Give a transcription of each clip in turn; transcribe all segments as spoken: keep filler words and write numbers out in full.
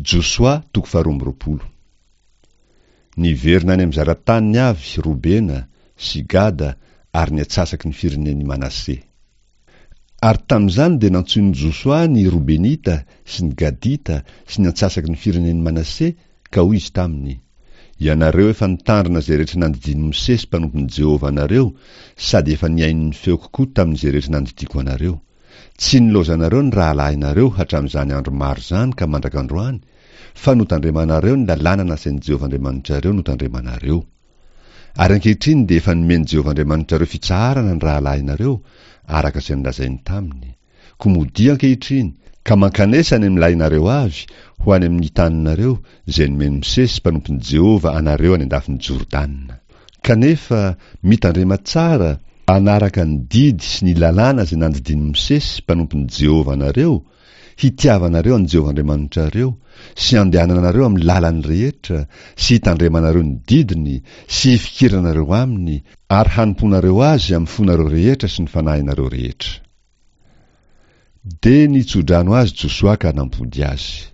Josoa toko faharoa amby roapolo. Niverina any amin'ny zara-taniny avy Robena sy Gada ary ny antsasaky ny firenen'i Manase. Ary tamin'izany dia nantsoin'i Josoa ny Robenita sy ny Gadita sy ny antsasaky ny firenen'i Manase ka hoy izy taminy, Ianareo efa nitandrina izay rehetra nandidian'i Mosesy mpanompon'i Jehovah anareo sady efa nihaino ny feoko koa tamin'izay rehetra nandidiako anareo. Tsy nilaozanareo ny rahalahinareo hatramin'izany andro maro izany ka mandraka androany, fa notandremanareo ny lalàna nasain'i Jehovah Andriamanitrareo notandremanareo. Ary ankehitriny dia efa nomen'i Jehovah Andriamanitrareo fitsaharana ny rahalahinareo, araka izay nolazainy taminy. Koa modia ankehitriny, ka mankanesa any amin'ny lahinareo avy, ho any amin'ny taninareo, izay nomen'i Mosesy mpanompon'i Jehovah anareo any an-dafin'i Jordana. Kanefa, mitandrema tsara, hanaraka ny didy sy ny lalàna izay nandidian'i Mosesy mpanompon'i Jehovah anareo, hitiavanareo an'i Jehovah Andriamanitrareo, sy handehananareo amin'ny lalany rehetra, sy hitandremanareo ny didiny, sy hifikiranareo aminy, ary hanompoanareo azy amin'ny fonareo rehetra sy ny fanahinareo rehetra. Dia nitso-drano azy Josoa ka nampody azy.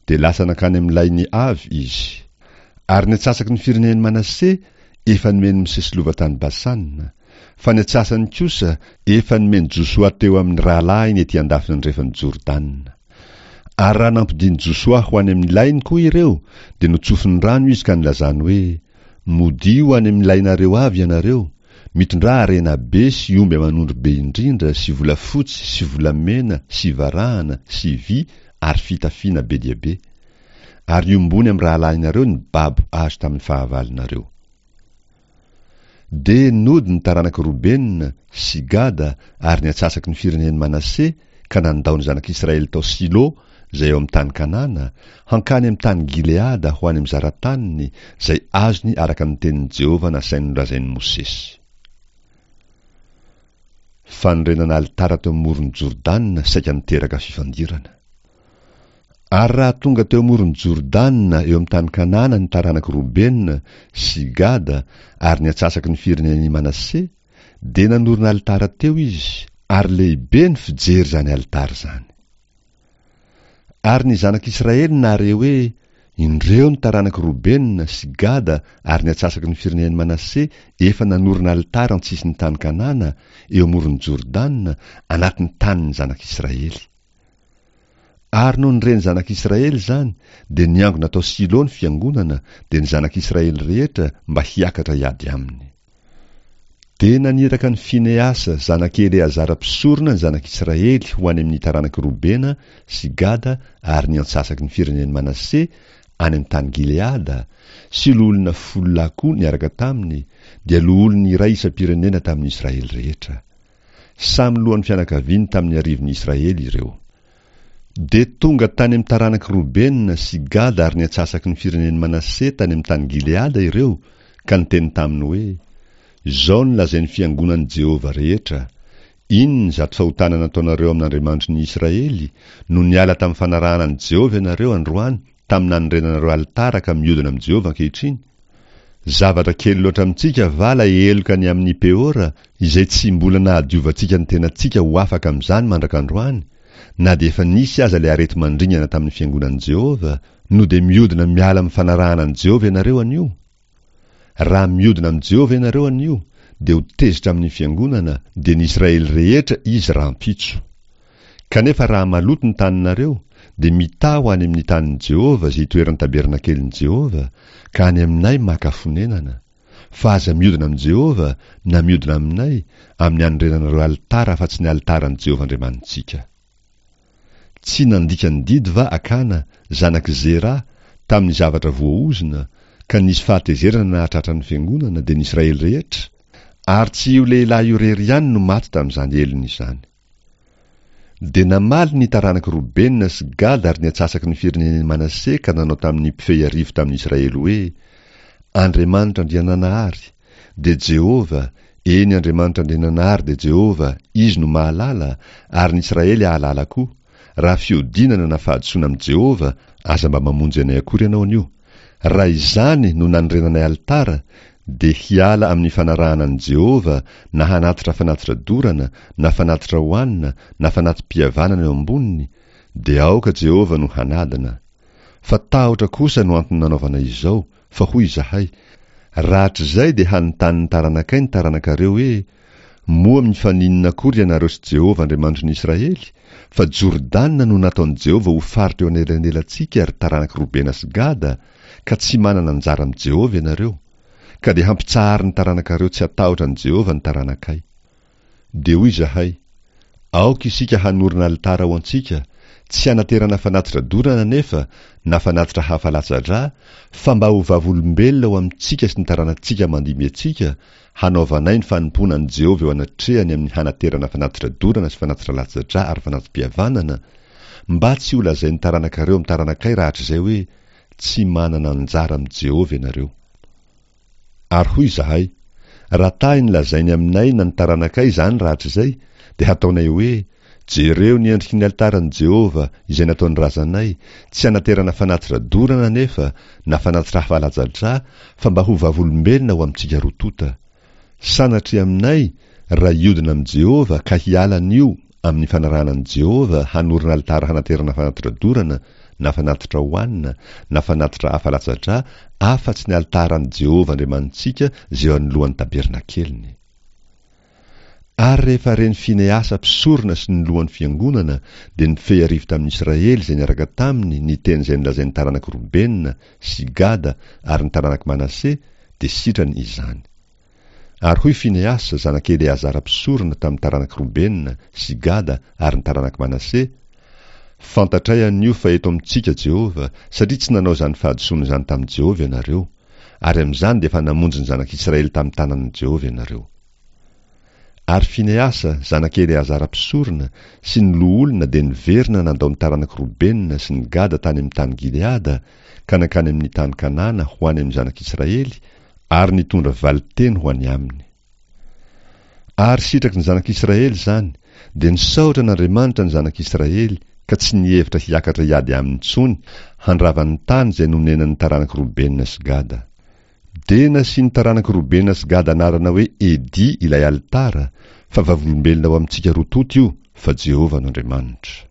Dia lasa nankany amin'ny lainy avy izy. Ary ny antsasaky ny firenen'i Manase efa nomen'i Mosesy lova tany Basana, fa ny antsasany kosa efa nomen'i Josoa teo amin'ny rahalahiny ety an-dafin'ny andrefan'i Jordana. Ary raha nampodian'i Josoa ho any amin'ny lainy koa ireo, dia notsofiny rano izy ka nilazany hoe, Modio any amin'ny lainareo avy ianareo, mitondrà harena be sy omby aman'ondry be indrindra sy volafotsy sy volamena sy varahana sy vy ary fitafiana be dia be. Ary iombony amin'ny rahalahinareo ny babo azo tamin'ny fahavalonareo. Dia nody ny taranak'i Robena sy Gada ary ny antsasaky ny firenen'i Manase ka nandao ny zanak'Israely tao Silo izay eo amin'ny tany Kanana, hankany amin'ny tany Gileada ho any amin'ny zara-taniny izay azony araka ny tenin'i Jehovah nasainy nolazain'i Mosesy. Fanorenana alitara teo amoron'i Jordana saika niteraka fifandirana. Ary raha tonga teo amoron'i Jordana eo amin'ny tany Kanana ny taranak'i Robena sy Gada ary ny antsasaky ny firenen'i Manase, dia nanorina alitara teo izy, ary lehibe ny fijery izany alitara izany. Ary ny zanak'Israely nahare hoe, Indreo ny taranak'i Robena sy Gada ary ny antsasaky ny firenen'i Manase efa nanorina alitara an-tsisin'ny tany Kanana, eo amoron'i Jordana, anatin'ny tanin'ny zanak'Israely. Ary nony ren'ny zanak'Israely izany, dia niangona tao Silo ny fiangonana, dia ny zanak'Israely rehetra, mba hiakatra hiady aminy. Dia naniraka an'i Finehasa zanak'i Eleazara mpisorona ny zanak'Israely ho any amin'ny taranak'i Robena sy Gada ary ny antsasaky ny firenen'i Manase any amin'ny tany Gileada, sy loholona folo lahy koa niaraka taminy, dia loholon'ny iray isam-pirenena tamin'ny Israely rehetra. Samy lohan'ny fianakaviany tamin'ny arivon'ny Israely ireo. Dia tonga tany amin'ny taranak'i Robena sy Gada ary ny antsasaky ny firenen'i Manase tany amin'ny tany Gileada ireo, ka niteny taminy hoe, Izao no lazain'ny fiangonan'i Jehovah rehetra, Inona izato fahotana nataonareo amin'Andriamanitry ny Israely, no niala tamin'ny fanarahana an'i Jehovah ianareo androany tamin'ny nanorenanareo alitara ka miodina amin'i Jehovah ankehitriny? Zavatra kely loatra amintsika va ilay heloka ny amin'i Peora, izay tsy mbola nahadiovantsika ny tenantsika ho afaka amin'izany mandraka androany, na dia efa nisy aza ilay areti-mandringana tamin'ny fiangonan'i Jehovah, no dia miodina miala amin'ny fanarahana an'i Jehovah ianareo anio? Raha miodina amin'i Jehovah ianareo anio, dia ho tezitra amin'ny fiangonana, dia ny Israely rehetra izy rahampitso. Kanefa raha maloto ny taninareo, dia mitaha ho any amin'ny tanin'i Jehovah izay itoeran'ny tabernakelin'i Jehovah, ka any aminay maka fonenana. Fa aza miodina amin'i Jehovah, na miodina aminay, amin'ny anorenanareo alitara afa-tsy ny alitaran'i Jehovah Andriamanitsika. Tsy nandika ny didy va Akana, zanak'i Zera, tamin'ny zavatra voaozona, ka nisy fahatezerana nahatratra ny fiangonana, dia ny Israely rehetra? Ary tsy io lehilahy io irery ihany no maty tamin'izany helony izany. Dia namaly ny taranak'i Robena sy Gada ary ny antsasaky ny firenen'i Manase ka nanao tamin'ny mpifehy arivo tamin'ny Israely hoe, Andriamanitra Andriananahary, dia Jehovah, eny Andriamanitra Andriananahary dia Jehovah, Izy no mahalala, ary ny Israely hahalala koa, raha fiodinana na fahadisoana amin'i Jehovah, aza mba mamonjy anay akory ianao anio. Raha izany no nanorenanay alitara, dia hiala amin'ny fanarahana an'i Jehovah na hanatitra fanatitra dorana na fanatitra hohanina na fanati-pihavanana eo amboniny, dia aoka Jehovah no hanadina. Fa tahotra kosa no antony nanaovana izao, fa hoy izahay, Rahatrizay dia hanontany ny taranakay ny taranakareo hoe, Moa mifaninona akory ianareo sy Jehovah Andriamanitry ny Israely? Fa Jordana no nataon'i Jehovah ho faritra eo anelanelantsika, ry taranak'i Robena sy Gada, ka tsy manana anjara amin'i Jehovah ianareo. Ka dia hampitsaharin'ny taranakareo tsy hatahotra an'i Jehovah ny taranakay. Dia hoy izahay, Aoka isika hanorina alitara ho antsika, tsy hanaterana fanatitra dorana anefa na fanatitra hafa latsa-drà, fa mba ho vavolombelona ho amintsika sy ny taranatsika mandimby antsika, hanaovanay ny fanompoana an'i Jehovah eo anatrehany amin'ny hanaterana fanatitra dorana sy fanatitra latsa-drà ary fanati-pihavanana, mba tsy holazain'ny taranakareo amin'ny taranakay rahatrizay hoe, Tsy manana anjara amin'i Jehovah ianareo. Ary hoy izahay, Raha tahiny lazainy aminay na ny taranakay izany rahatrizay, dia hataonay hoe, Jereo ny endriky ny alitaran'i Jehovah izay nataon'ny razanay, tsy hanaterana fanatitra dorana anefa na fanatitra hafa latsa-drà, fa mba ho vavolombelona ho amintsika roa tonta. Sanatria aminay raha hiodina amin'i Jehovah ka hiala anio amin'ny fanarahana an'i Jehovah hanorina alitara hanaterana fanatitra dorana na fanatitra hohanina na fanatitra hafa latsa-drà afa-tsy ny alitaran'i Jehovah Andriamanitsika izay eo anoloan'ny tabernakeliny. Ary rehefa ren'i Finehasa mpisorona sy ny lohan'ny fiangonana, dia nifehy arivo tamin'ny Israely izay niaraka taminy ny teny izay nolazain'ny taranak'i Robena sy Gada ary ny taranak'i Manase, dia sitrany izany. Ary hoy Finehasa, zanak'i Eleazara mpisorona, tamin'ny taranak'i Robena sy Gada ary ny taranak'i Manase, Fantatray anio fa eto amintsika Jehovah, satria tsy nanao izany fahadisoana izany tamin'i Jehovah ianareo, ary amin'izany dia efa namonjy ny zanak'Israely tamin'ny tanan'i Jehovah ianareo. Ary Finehasa, zanak'i Eleazara mpisorona, sy ny loholona dia niverina nandao ny taranak'i Robena sy ny Gada tany amin'ny tany Gileada, ka nankany amin'ny tany Kanana ho any amin'ny zanak'Israely, ary nitondra valin-teny ho any aminy. Ary sitraky ny zanak'Israely izany, dia nisaotra an'Andriamanitra ny zanak'Israely, ka tsy nihevitra hiakatra hiady aminy intsony, handrava ny tany izay nonenan'ny taranak'i Robena sy Gada. Dia nasian'ny taranak'i Robena sy Gada anarana hoe Edy ilay alitara, fa vavolombelona ho amintsika roa tonta io fa Jehovah no Andriamanitra.